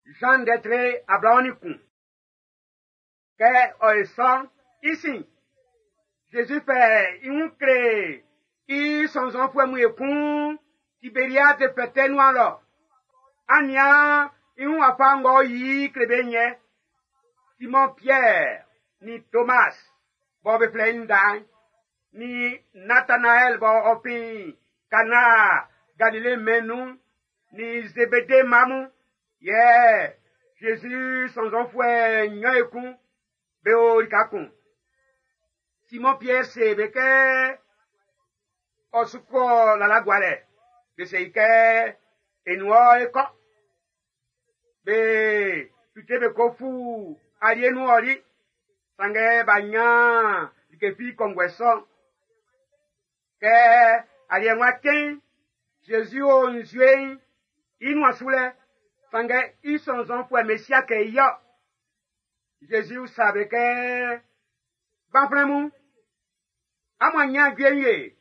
Jean ndɛ tre 21. Kɛ ɔ e sɔ'n, i sin, Zezi fɛ i wun kle i sɔnnzɔnfuɛ mun ekun Tiberiade fɛtɛ nuan lɔ. An nian i wun wafa ng'ɔ yi kle be yɛ. Simon Pierre ni Thomas bɔ be flɛ i Nda'n, ni Nathanaël bɔ ɔ fin Kana Galile mɛn'n nun, ni Zebede mma mun, yɛ Zezi sɔnnzɔnfuɛ nnyɔn ekun be o lika kun. Simon Pierre se be kɛ ɔ su kɔ lala gualɛ. Be se i kɛ e nin wɔ e kɔ. Be fite be ko fu alie nun ɔli. Sanngɛ b'a nyan like fi kɔnguɛ sɔ'n. Kɛ aliɛ ng'ɔ cɛn'n, Zezi o nzue'n i nuan su lɛ, sanngɛ i sɔnnzɔnfuɛ Mesia kɛ i yɔ. Zezi usa be kɛ, Gbanflɛn mun, amun a nyan jue wie?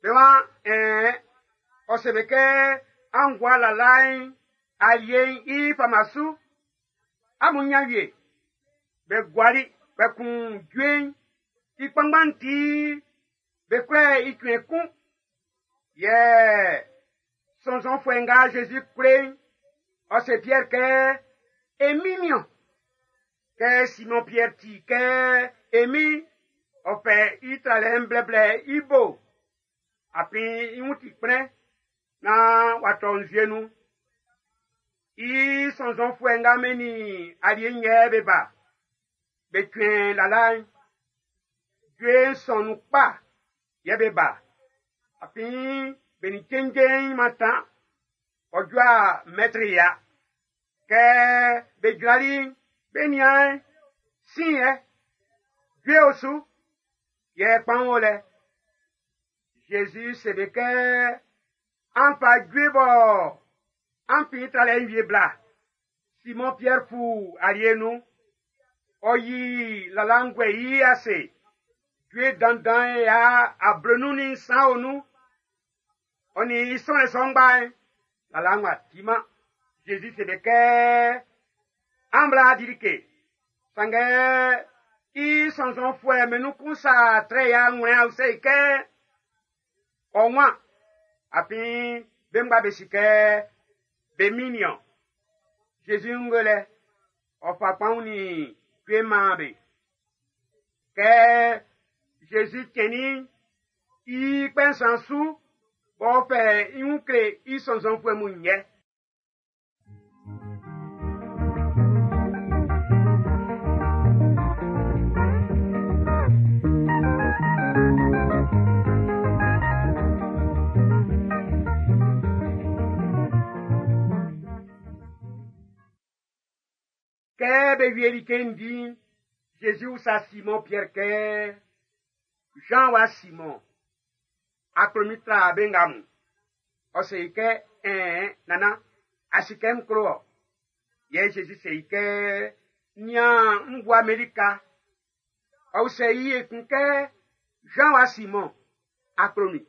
Be waan, ɛɛn. Ɔ se be kɛ, an gua lala'n alie'n i fama su, amun nyan wie. Be guali, kpɛkun jue'n i kpanngban'n ti be kwlɛ i cuɛn kun. Yɛ sɔnnzɔnfuɛ nga Zezi kle'n, ɔ se Pierre kɛ, e min niɔn. Kɛ Simon Pierre ti kɛ e min, ɔ fɛ i tralɛ'n blɛblɛ i bo. Afin i wun ti kplɛn naan w'a tɔ nzue nun. I sɔnnzɔnfuɛ nga be nin alie'n yɛ be ba. Be cuɛn lala'n. Jue'n sɔn nun kpa yɛ be ba. Afin be nin cenje'n mantan. Ɔ jua mɛtri ya. Kɛ be jrali'n, be nian sin yɛ. Jue o su, yɛ kpaun o lɛ. Jésus se be kɛ, an fa jue bɔ an fin tralɛ'n wie bla. Simon Pierre fu alie nun. Ɔ yi lala'n guɛ i ase. Jue dandan ya ablenun ni nsan o nun. Ɔ nin i sɔnlɛ sɔ'n ngba'n, lala'n w'a timan. Jésus se be kɛ, an bla di like. Sanngɛ i sɔnnzɔnfuɛ be nun kun sa trɛ ya ŋwlɛ a usɛ i kɛ, ɔ wan. Afin be ngba be si kɛ be min niɔn. Jésus ŋgolɛ, ɔ fa kpaun ni jue maan be. Kɛ Jésus cɛnnin i kpɛ nsan su, b'ɔ fɛ i wun kle i sɔnnzɔnfuɛ mun yɛ. Kɛ be wieli ke'n di'n, Jésus usa Simon Pierre kɛ, Jean wa Simon, a klo min tra be nga mun? Ɔ se i kɛ, ɛɛn, nana, a si kɛ n klo ɔ. Yɛ Jésus se i kɛ, nian n bua Melika. Ɔ usɛ i ekun kɛ, Jean wa Simon, a klo min?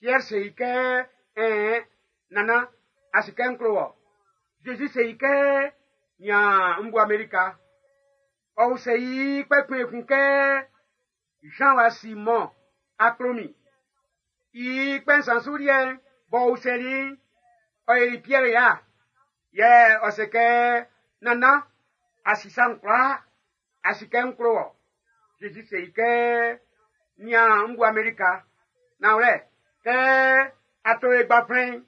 Pierre se i kɛ, ɛɛn, nana, a si kɛ n klo ɔ. Jésus se i kɛ, nian n bua Melika. Ɔ usɛ i kpɛkun ekun kɛ, Jean wa Simon, a klo min? I kpɛ nsan su liɛ'n, b'ɔ usɛli i'n, ɔ yeli Pierre ya. Yɛ ɔ se kɛ, nana, a si sa'n kwlaa, a si kɛ n klo wɔ. Jésus se i kɛ, nian n bua Melika. Nanwlɛ, kɛ a to e gbaflɛn'n,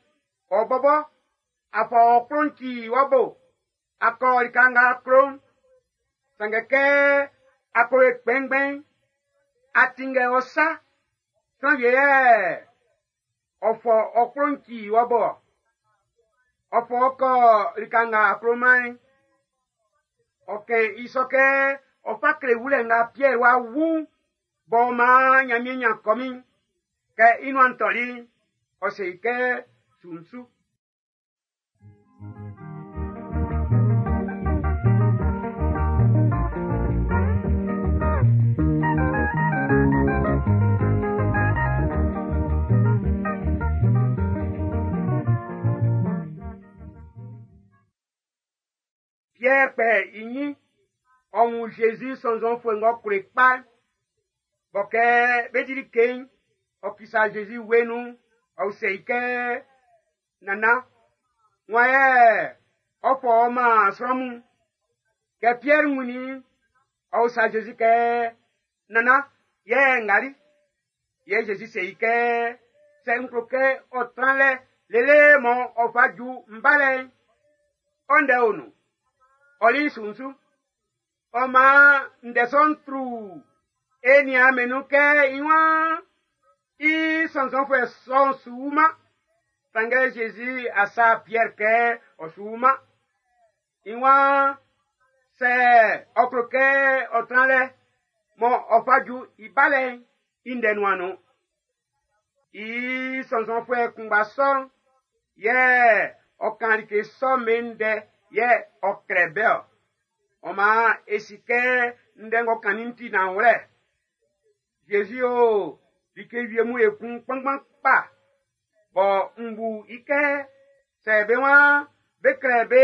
ɔ bɔbɔ, a fɔ ɔ klun ci wɔ bo, a kɔ lika nga klo'n. Sanngɛ kɛ a ko e kpɛnngbɛn'n, a tinngɛ ɔ sa, sran wie yɛ ɔ fɔ ɔ klun ci wɔ bo. Ɔ fɔ ɔ kɔ lika nga kloman'n. Ɔ kɛn i sɔ kɛ ɔ fa kle wulɛ nga Pierre wa wu b'ɔ maan Nyanmiɛn nyan kɔmin. Kɛ i nuan tɔli'n, ɔ se i kɛ su n su. Pierre kpɛ i ɲin, ɔ wun Zezi sɔnnzɔnfuɛ ng'ɔ klo kpa. Bɔ kɛ be dili ke'n, ɔ kisa Zezi wue nun, ɔ usɛ i kɛ, Nana, wan yɛ ɔ fɔ ɔ man sran mun? Kɛ Pierre wunnin, ɔ usa Zezi kɛ, Nana, yɛ ngali? Yɛ Zezi se i kɛ, sɛ n klo kɛ ɔ tran lɛ lele mɔ ɔ fa ju n balɛ'n, ɔ ndɛ o nun. Ɔli sunsu. Ɔ maan ndɛ sɔ'n tru e niaan mɛn nun kɛ i waan i sɔnnzɔnfuɛ sɔ'n su wuman. Sanngɛ Zezi a sa Pierre kɛ ɔ su wuman. I waan sɛ ɔ klo kɛ ɔ tran lɛ mɔ ɔ fa ju i balɛ'n i ndɛ nuan nun. I sɔnnzɔnfuɛ kunngba sɔ'n yɛ ɔ kan like sɔ'n be ndɛ yɛ ɔ klɛ bɛ ɔ. Ɔ maan e si kɛ ndɛ ng'ɔ kannin'n ti nanwlɛ. Zezi o like wie mun ekun kpanngban kpa bɔ n bu i kɛ sɛ be waan be klɛ be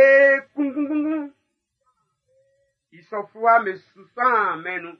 kunngunkunngun i sɔ fluwa me su sɔn mɛn nun.